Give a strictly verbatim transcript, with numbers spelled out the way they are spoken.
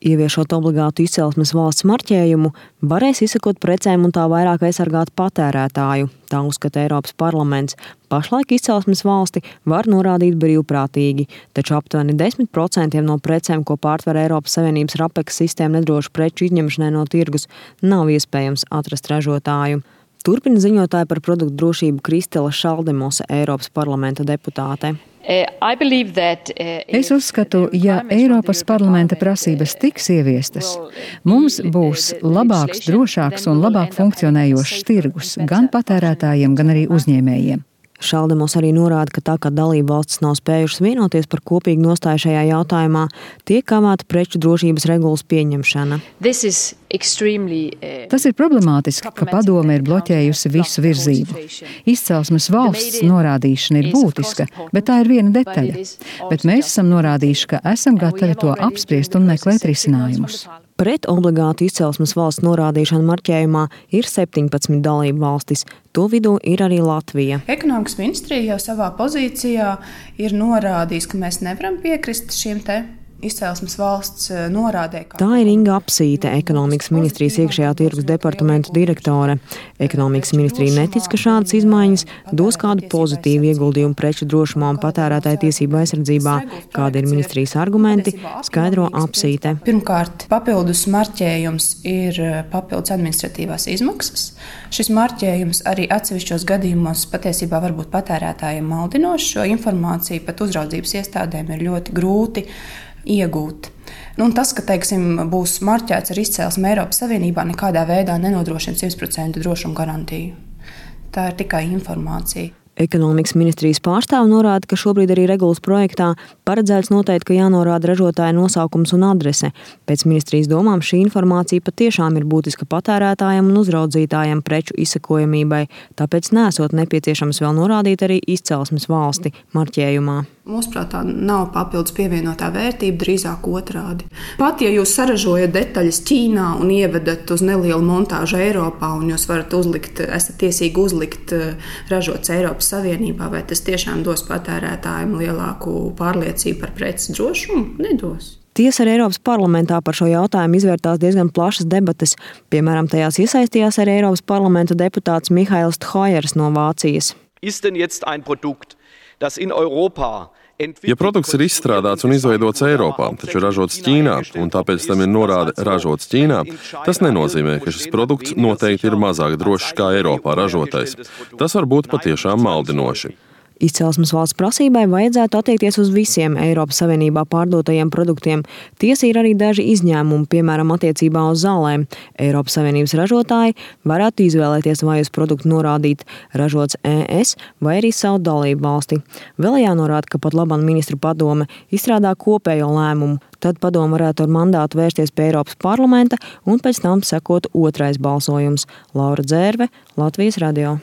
Ieviešot obligātu izcelsmes valsts marķējumu, varēs izsakot precēm un tā vairāk aizsargāt patērētāju. Tā uzskata Eiropas parlaments. Pašlaik izcelsmes valsti var norādīt brīvprātīgi, taču aptuveni desmit procenti no precēm, ko pārtver Eiropas Savienības RAPEX sistēma nedrošu preču izņemšanai no tirgus, nav iespējams atrast ražotāju. Turpina ziņotāja par produktu drošību Kristela Šaldemose, Eiropas parlamenta deputāte. Es uzskatu, ja Eiropas parlamenta prasības tiks ieviestas, mums būs labāks, drošāks un labāk funkcionējošs tirgus gan patērētājiem, gan arī uzņēmējiem. Šaldemos arī norāda, ka tā kā dalība valstis nav spējušas vienoties par kopīgu nostāju šajā jautājumā, tiek kavēta preču drošības regulas pieņemšana. Tas ir problemātiski, ka padome ir bloķējusi visu virzību. Izcelsmes valsts norādīšana ir būtiska, bet tā ir viena detaļa. Bet mēs esam norādījuši, ka esam gatavi to apspriest un meklēt risinājumus. Pret obligātu izcelsmes valsts norādīšanu marķējumā ir septiņpadsmit dalību valstis. To vidū ir arī Latvija. Ekonomikas ministrija jau savā pozīcijā ir norādījis, ka mēs nevaram piekrist šiem te izcelsmes valsts norādē. Tā ir Inga Apsīte, Ekonomikas ministrijas iekšējā tirgus departamenta direktore. Ekonomikas ministrija netic, ka šādas izmaiņas dos kādu pozitīvu ieguldījumu preču drošumā un patērētāju tiesību aizsardzībā. Kādi ir ministrijas argumenti, skaidro Apsīte. Pirmkārt, papildus marķējums ir papildus administratīvās izmaksas. Šis marķējums arī atsevišķos gadījumos patiesībā var būt patērētājiem maldinošs. Šo informāciju pat uzraudzības iestādēm ir ļoti grūti iegūt. Nu, tas, ka teiksim, būs marķēts ar izcelsmi Eiropas Savienībā, nekādā veidā nenodrošina simt procentu drošumu garantiju. Tā ir tikai informācija. Ekonomikas ministrijas pārstāve norāda, ka šobrīd arī regulas projektā paredzēts noteikt, ka jānorāda ražotāja nosaukums un adrese. Pēc ministrijas domām šī informācija patiešām ir būtiska patērētājiem un uzraudzītājiem preču izsakojamībai, tāpēc nesot nepieciešams vēl norādīt arī izcelsmes valsti marķējumā. Mūsuprāt, tā nav papildus pievienotā vērtība, drīzāk otrādi. Pat ja jūs saražojat detaļas Ķīnā un ievedat uz nelielu montāžu Eiropā, un jūs varat uzlikt, esat tiesīgi uzlikt ražots Eiropas Savienībā, vai tas tiešām dos patērētājiem lielāku pārliecību par preces drošumu? Nedos. Tiesa arī Eiropas parlamentā par šo jautājumu izvērtās diezgan plašas debates. Piemēram, tajās iesaistījās arī Eiropas parlamenta deputāts Mihails Thojers no Vācijas. Ja produkts ir izstrādāts un izveidots Eiropā, taču ražots Ķīnā, un tāpēc tam ir norāde ražots Ķīnā, tas nenozīmē, ka šis produkts noteikti ir mazāk drošs kā Eiropā ražotais. Tas var būt patiešām maldinoši. Izcelsmes valsts prasībai vajadzētu attiekties uz visiem Eiropas Savienībā pārdotajiem produktiem. Tiesa ir arī daži izņēmumi, piemēram, attiecībā uz zālēm. Eiropas Savienības ražotāji varētu izvēlēties, vai uz produktu norādīt ražots E S vai arī savu dalību valsti. Vēl jānorāda, ka pat labam ministru padome izstrādā kopējo lēmumu. Tad padome varētu ar mandātu vērsties pie Eiropas parlamenta un pēc tam sekot otrais balsojums. Laura Dzērve, Latvijas radio.